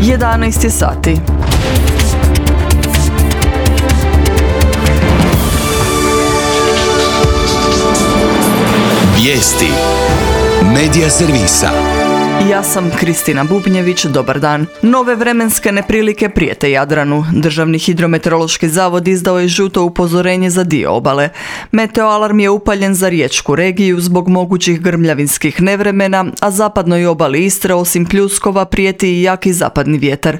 11 je sati. Vijesti Medija servisa. Ja sam Kristina Bubnjević, dobar dan. Nove vremenske neprilike prijete Jadranu. Državni hidrometeorološki zavod izdao je žuto upozorenje za dio obale. Meteoalarm je upaljen za riječku regiju zbog mogućih grmljavinskih nevremena, a zapadnoj obali Istre osim pljuskova prijeti i jaki zapadni vjetar.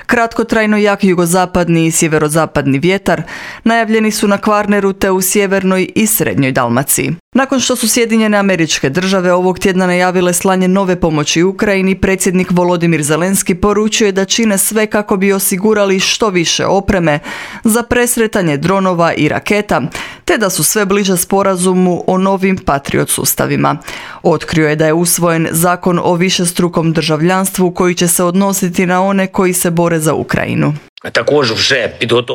Kratkotrajno jak jugozapadni i sjeverozapadni vjetar najavljeni su na Kvarneru te u sjevernoj i srednjoj Dalmaciji. Nakon što su Sjedinjene Američke Države ovog tjedna najavile slanje nove pomoći Ukrajini, predsjednik Volodimir Zelenski poručio je da čine sve kako bi osigurali što više opreme za presretanje dronova i raketa, te da su sve bliže sporazumu o novim Patriot sustavima. Otkrio je da je usvojen zakon o višestrukom državljanstvu koji će se odnositi na one koji se bore za Ukrajinu.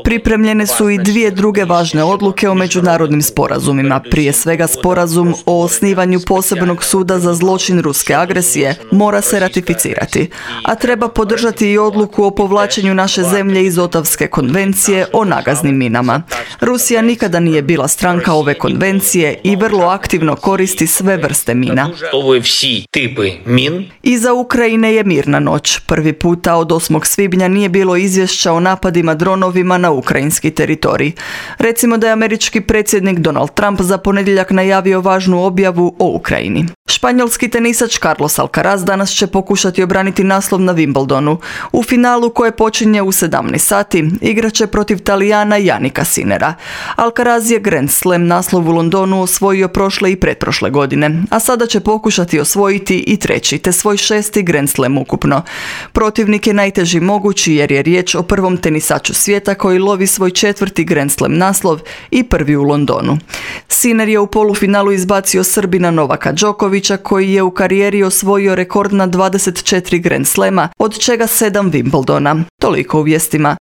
Pripremljene su i dvije druge važne odluke o međunarodnim sporazumima. Prije svega sporazum o osnivanju posebnog suda za zločin ruske agresije mora se ratificirati, a treba podržati i odluku o povlačenju naše zemlje iz Otavske konvencije o nagaznim minama. Rusija nikada nije bila stranka ove konvencije i vrlo aktivno koristi sve vrste mina. Iza Ukrajine je mirna noć. Prvi puta od 8. svibnja nije bilo izvješća o napadima dronovima na ukrajinski teritorij. Recimo da je američki predsjednik Donald Trump za ponedjeljak najavio važnu objavu o Ukrajini. Španjolski tenisač Carlos Alcaraz danas će pokušati obraniti naslov na Wimbledonu. U finalu koje počinje u 17 sati igraće protiv Talijana Jannika Sinnera. Alcaraz je Grand Slam naslov u Londonu osvojio prošle i pretprošle godine, a sada će pokušati osvojiti i treći, te svoj 6. Grand Slam ukupno. Protivnik je najteži mogući jer je riječ o prvom tenisaču svijeta koji lovi svoj 4. Grand Slam naslov i prvi u Londonu. Sinner je u polufinalu izbacio Srbina Novaka Đokovića koji je u karijeri osvojio rekordna 24 Grand Slama, od čega 7 Wimbledona. Toliko u vijestima.